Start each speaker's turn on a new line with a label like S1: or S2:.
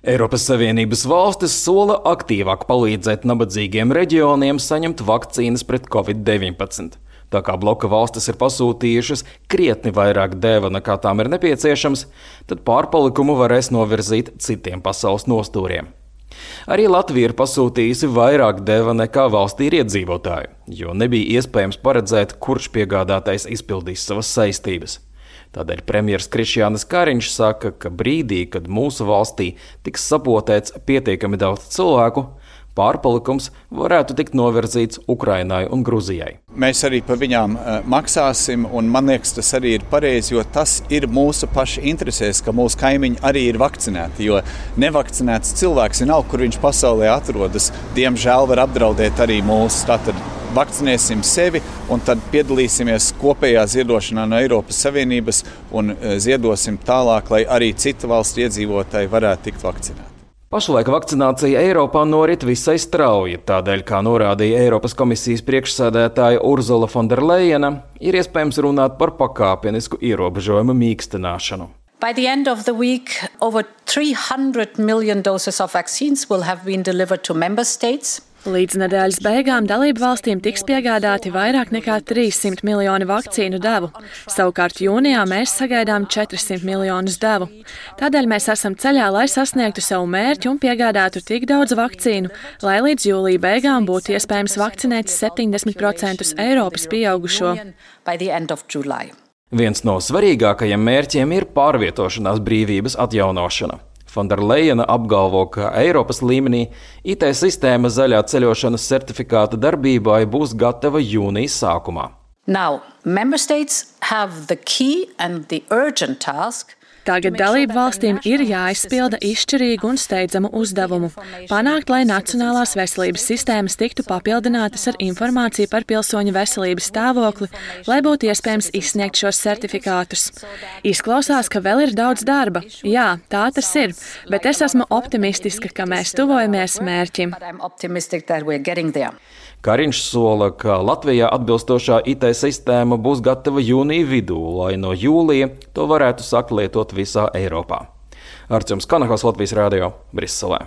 S1: Eiropas Savienības valstis sola aktīvāk palīdzēt nabadzīgiem reģioniem saņemt vakcīnas pret Covid-19. Tā kā bloka valstis ir pasūtījušas krietni vairāk deva nekā tām ir nepieciešams, tad pārpalikumu varēs novirzīt citiem pasaules nostūriem. Arī Latvija ir pasūtījusi vairāk deva nekā valstī ir iedzīvotāji, jo nebija iespējams paredzēt, kurš piegādātais izpildīs savas saistības. Tādēļ premjers Krišjānis Kariņš saka, ka brīdī, kad mūsu valstī tiks sapotēts pietiekami daudz cilvēku, pārpalikums varētu tikt novirzīts Ukrainai un Gruzijai.
S2: Mēs arī par viņām maksāsim, un man liekas, tas arī ir pareizi, jo tas ir mūsu pašu interesēs, ka mūsu kaimiņi arī ir vakcinēti, jo nevakcinēts cilvēks vienalga, kur viņš pasaulē atrodas, diemžēl var apdraudēt arī mūsu. Tātad vakcinēsim sevi un tad piedalīsimies kopējā ziedošanā no Eiropas Savienības un ziedosim tālāk, lai arī citu valstu iedzīvotāji varētu tikt vakcinēti.
S1: Pašlaik vakcinācija Eiropā norit visai strauji, tādēļ, kā norādīja Eiropas komisijas priekšsēdētāja Ursula von der Leyena, ir iespējams runāt par pakāpenisku ierobežojumu mīkstināšanu.
S3: By the end of the week, over 300 million doses of vaccines will have been delivered to member states.
S4: Līdz nedēļas beigām dalību valstīm tiks piegādāti vairāk nekā 300 miljoni vakcīnu devu. Savukārt jūnijā mēs sagaidām 400 miljonus devu. Tādēļ mēs esam ceļā, lai sasniegtu savu mērķi un piegādātu tik daudz vakcīnu, lai līdz jūlija beigām būtu iespējams vakcinēt 70% Eiropas pieaugušo.
S1: Viens no svarīgākajiem mērķiem ir pārvietošanās brīvības atjaunošana. Von der Leyena apgalvo, ka Eiropas līmenī IT sistēma zaļā ceļošanas certifikāta darbībai būs gatava jūnijas sākumā.
S3: Now, member states have the key and the urgent task.
S4: Tagad dalību valstīm ir jāizpilda izšķirīgu un steidzamu uzdevumu – panākt, lai nacionālās veselības sistēmas tiktu papildinātas ar informāciju par pilsoņu veselības stāvokli, lai būtu iespējams izsniegt šos certifikātus. Izklausās, ka vēl ir daudz darba. Jā, tā tas ir, bet es esmu optimistiska, ka mēs tuvojamies mērķim.
S1: Kariņš sola, ka Latvijā atbilstošā IT sistēma būs gatava jūnija vidū, lai no jūlija to varētu sākt lietot visā Eiropā. Artjoms Kanahos, Latvijas radio, Briselē.